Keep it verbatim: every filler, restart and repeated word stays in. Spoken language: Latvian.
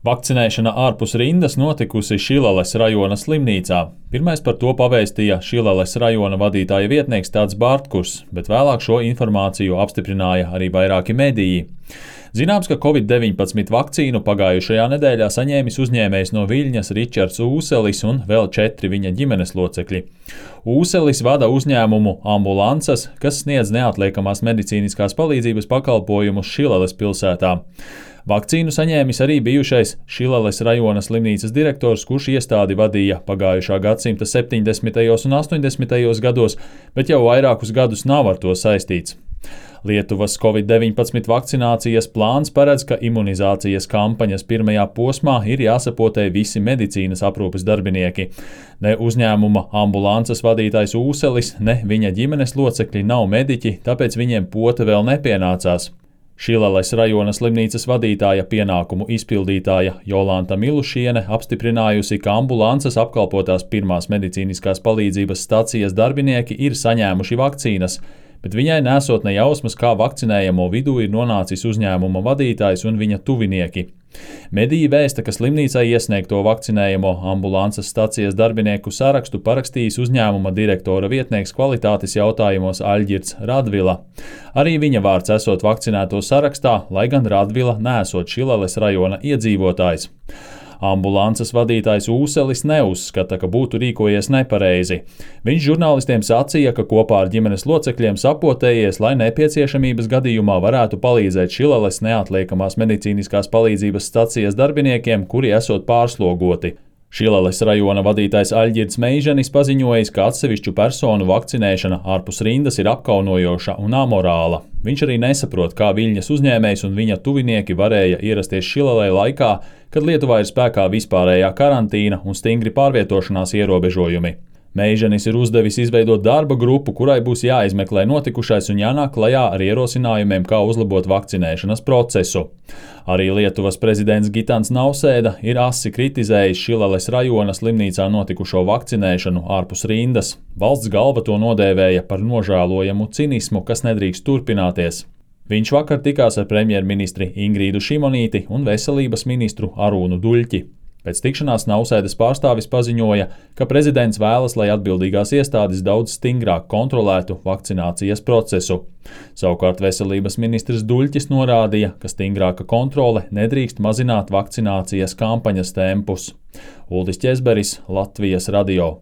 Vakcinēšana ārpus rindas notikusi Šileles rajona slimnīcā. Pirmais par to pavēstīja Šileles rajona vadītāja vietnieks Tāds Bartkurs, bet vēlāk šo informāciju apstiprināja arī vairāki mediji. Zināms, ka covid deviņpadsmit vakcīnu pagājušajā nedēļā saņēmis uzņēmējs no Viļņas Ričards Ūselis un vēl četri viņa ģimenes locekļi. Ūselis vada uzņēmumu Ambulances, kas sniedz neatliekamās medicīniskās palīdzības pakalpojumus Šileles pilsētā. Vakcīnu saņēmis arī bijušais Šileles rajona slimnīcas direktors, kurš iestādi vadīja pagājušā gadsimta septiņdesmitajos un astoņdesmitajos gados, bet jau vairākus gadus nav ar to saistīts. Lietuvas covid deviņpadsmit vakcinācijas plāns paredz, ka imunizācijas kampaņas pirmajā posmā ir jāsapotē visi medicīnas aprūpes darbinieki. Ne uzņēmuma Ambulances vadītājs Ūselis, ne viņa ģimenes locekļi nav mediķi, tāpēc viņiem pota vēl nepienācās. Šileles rajona slimnīcas vadītāja pienākumu izpildītāja Jolanta Milušiene apstiprinājusi, ka Ambulances apkalpotās pirmās medicīniskās palīdzības stacijas darbinieki ir saņēmuši vakcīnas, bet viņai nesot ne jausmas, kā vakcinējamo vidū ir nonācis uzņēmuma vadītājs un viņa tuvinieki. Mediji vēsta, ka slimnīcai iesniegto vakcinējamo Ambulances stacijas darbinieku sarakstu parakstījis uzņēmuma direktora vietnieks kvalitātes jautājumos Aļģirds Radvila. Arī viņa vārds esot vakcinēto sarakstā, lai gan Radvila neesot Šileles rajona iedzīvotājs. Ambulances vadītājs Ūselis neuzskata, ka būtu rīkojies nepareizi. Viņš žurnālistiem sacīja, ka kopā ar ģimenes locekļiem sapotējies, lai nepieciešamības gadījumā varētu palīdzēt Šileles neatliekamās medicīniskās palīdzības stacijas darbiniekiem, kuri esot pārslogoti. Šileles rajona vadītājs Aļģirds Meiženis paziņojis, ka atsevišķu personu vakcinēšana ārpus rindas ir apkaunojoša un amorāla. Viņš arī nesaprot, kā Viļņas uzņēmējs un viņa tuvinieki varēja ierasties Šilelē laikā, kad Lietuvā ir spēkā vispārējā karantīna un stingri pārvietošanās ierobežojumi. Meiženis ir uzdevis izveidot darba grupu, kurai būs jāizmeklē notikušais un jānāk klajā ar ierosinājumiem, kā uzlabot vakcinēšanas procesu. Arī Lietuvas prezidents Gitans Nausēda ir asi kritizējis Šileles rajona slimnīcā notikušo vakcinēšanu ārpus rindas. Valsts galva to nodēvēja par nožēlojamu cinismu, kas nedrīkst turpināties. Viņš vakar tikās ar premjerministri Ingrīdu Šimonīti un veselības ministru Arūnu Duļķi. Pēc tikšanās Nausēdas pārstāvis paziņoja, ka prezidents vēlas, lai atbildīgās iestādes daudz stingrāk kontrolētu vakcinācijas procesu. Savukārt veselības ministrs Duļķis norādīja, ka stingrāka kontrole nedrīkst mazināt vakcinācijas kampaņas tempus. Uldis Ķezberis, Latvijas radio.